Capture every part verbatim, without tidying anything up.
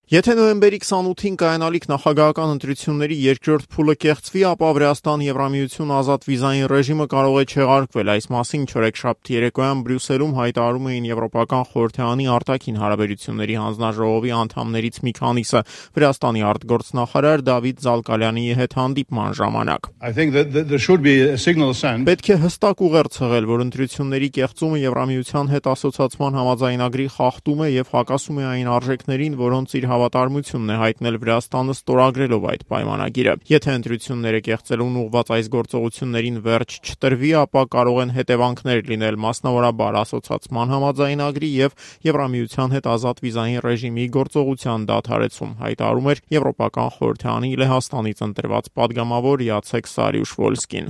Եթե նոյեմբերի քսանութին կայանալիք նախագահական ընտրությունների երկրորդ փուլը կեղծվի, ապա Վրաստան-Եվրամիություն ազատ վիզային ռեժիմը կարող է չեղարկվել։ Այս մասին չորեքշաբթի երեկոյան Բրյուսելում հայտարարում էին Եվրոպական խորհրդարանի արտաքին հարաբերությունների հանձնաժողովի անդամներից մի քանիսը Վրաստանի արտգործնախարար Դավիթ Զալկալյանի հետ հանդիպման ժամանակ։ Պետք է հստակ ուղերձ հղել, որ ընտրությունների կեղծումը Եվրամիության հետ ասոցիացման համաձայնագրի խախտում է եւ հակասում է այն արժեքներին, որոնց իր հավատարմությունն է հայտնել Վրաստանը ստորագրելով այդ պայմանագիրը։ Եթե ընտրությունները կեղծելուն ուղղված այս գործողություններին վերջ չտրվի, ապա կարող են հետևանքներ լինել, մասնավորաբար ասոցիացման համաձայնագրի եւ Եվրամիության հետ ազատ վիզային ռեժիմի գործողության դադարեցում, հայտարարում էր Եվրոպական խորհրդարանի Լեհաստանից ընտրված падգամավոր Յացեք Սարիուշ-Վոլսկին։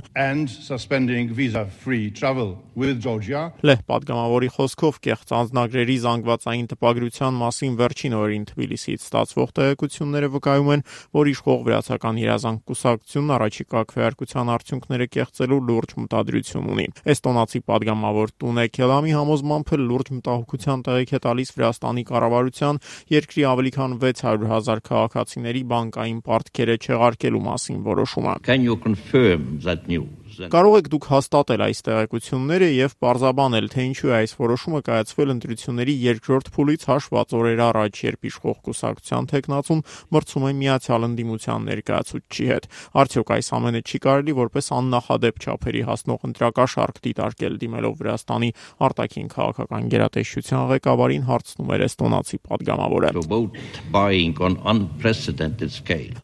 Լեհ падգամավորի խոսքով կեղծ անձնագրերի զանգվածային տպագրության մասին վերջին օրերին Թբիլիսիից ստացվող տեղեկությունները վկայում են, որ իշխող վրացական երազանք կուսակցությունն առաջիկա քվեարկության արդյունքները կեղծելու լուրջ մտադրություն ունի։ Էստոնացի падգամավոր Տունե Քելամի համոզմամբ լուրջ մտահոգության տեղիք է տալիս Վրաստանի կառավարության երկրի ավելի քան վեց հարյուր հազար քաղաքացիների բանկային պարտքերը չեղարկելու մասին որոշումը։ Can you confirm that news? Կարող եք դուք հաստատել այս տեղեկությունները եւ պարզաբանել, թե ինչու է այս որոշումը կայացվել ընտրությունների երկրորդ փուլից հաշված օրեր առաջ, երբ իշխող կուսակցության թեկնածուն մրցում է Միացյալ Ընդդիմության ներկայացուցչի հետ։ Արդյոք այս ամենը չի կարելի որպես աննախադեպ չափերի հասնող ընտրակաշառք դիտարկել, դիմելով Վրաստանի արտաքին քաղաքական գերատեսչության ղեկավարին հարցնում էր էստոնացի падգամավորը։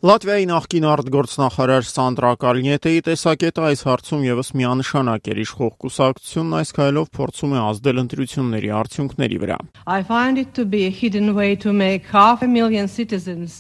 Լատվիայի նախկին արտգործնախարար Սանդրա Կալնյետեի տեսակետը այս հարցում եւս միանշանակ էր։ Իշխող կուսակցությունն այս քայլով փորձում է ազդել ընտրությունների արդյունքների վրա։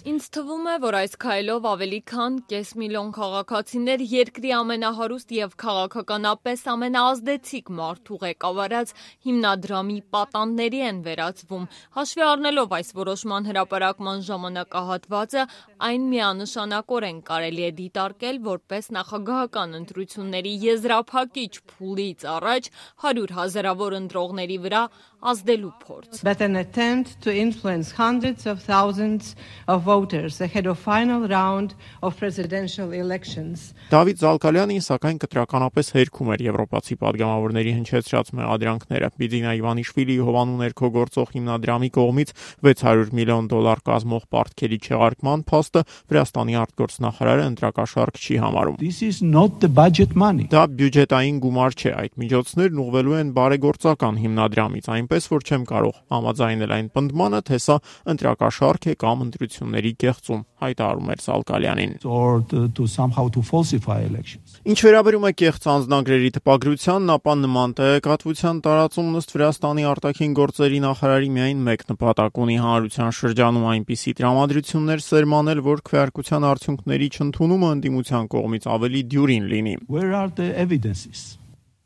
Ինձ թվում է, որ այս քայլով ավելի քան կես միլիոն քաղաքացիներ երկրի ամենահարուստ եւ քաղաքականապես ամենաազդեցիկ մարդու ղեկավարած հիմնադրամի պատանդների են վերածվում։ Հաշվի առնելով այս որոշման հրապարակման ժամանակահատվածը, այն միանշանակորեն կարելի է դիտարկել որպես նախագահական ընտրությունների եզրափակիչ փուլից առաջ հարյուր հազարավոր ընտրողների վրա ազդելու փորձ։ But an attempt to influence hundreds of thousands of voters ahead of final round of presidential elections. Դավիթ Զալկալյանին սակայն կտրականապես հերքում էր եվրոպացի падգամավորների հնչեցրած մեղադրանքները։ Բիձինա Իվանիշվիլիի հովանու ներքո գործող հիմնադրամի կողմից վեց հարյուր միլիոն դոլար կազմող պարտքերի չեղարկման փաստը Վրաստանի արտգործնախարարը ընտրակաշառք չի համարում։ This is not the budget money. Դա բյուջետային գումար չէ, այդ միջոցներն ուղղվելու են բարեգործական հիմնադրամից, այնպես որ չեմ կարող համաձայնել այն պնդմանը, թե սա ընտրակաշառք է կամ ընտրությունների կեղծում, հայտարարում էր Զալկալյանին։ Or to, to somehow to falsify elections. Ինչ վերաբերում է կեղծ անձնագրերի տպագրությանն, ապա նման տեղեկատվության տարածումն ըստ Վրաստանի արտաքին գործերի նախարարի միայն մեկ նպատակ ունի՝ հանրության շրջանում այնպիսի տրամադրություններ սերմանել, որ քվեարկության արդյունքների չընդունումը ընդդիմության կողմից ավելի դյուրին լինի։ Where are the evidences?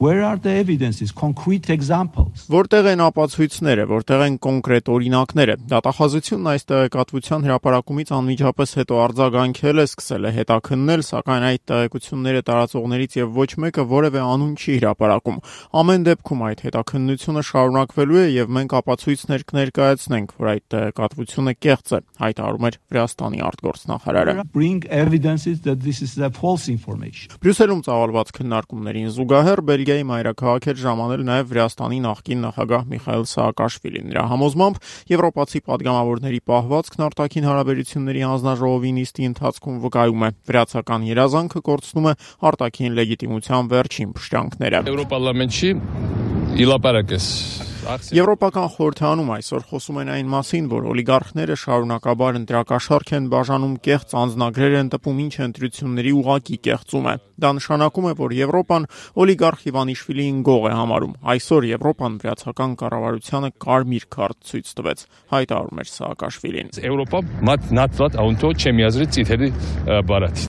Where are the evidences, concrete examples? Որտեղ են ապացույցները, որտեղ են կոնկրետ օրինակները։ Դատախազությունն այս տեղեկատվության հրապարակումից անմիջապես հետո արձագանքել է, սկսել է հետաքննել, սակայն այդ տեղեկությունները տարածողներից եւ ոչ մեկը որևէ անուն չի հրապարակում։ Ամեն դեպքում այդ հետաքննությունը շարունակվելու է եւ մենք ապացույցներ կներկայացնենք, որ այդ տեղեկատվությունը կեղծ է, հայտարարում էր Վրաստանի արտգործնախարարը։ Bring evidences that this is a false information. Բրյուսելում ծավալված քննարկումներին զուգահեռ Բելգիայի մայրաքաղաք էր ժամանել նաև Վրաստանի նախկին նախագահ Միխայիլ Սաակաշվիլին։ Նրա համոզմամբ եվրոպացի падգամավորների պահվածքն արտաքին հարաբերությունների հանձնաժողովի նիստի ընթացքում վկայում է։ Վրացական երազանքը կորցնում է արտաքին լեգիտիմության վերջին փշրանքները։ Եվրոպարլամենտի իլապարակես Եվրոպական խորհրդարանում այսօր խոսում են այն մասին, որ օլիգարխները շարունակաբար ընտրակաշառք են բաժանում, կեղծ անձնագրեր են տպում, ինչը ընտրությունների ուղղակի կեղծում է։ Դա նշանակում է, որ Եվրոպան օլիգարխ Իվանիշվիլիին գող է համարում։ Այսօր Եվրոպան վրացական կառավարությանը կարմիր քարտ ցույց տվեց, հայտարարում էր Սաակաշվիլին։ Եվրոպա մատ նատված աունտո չեմիազրի ցիթերի բարաթ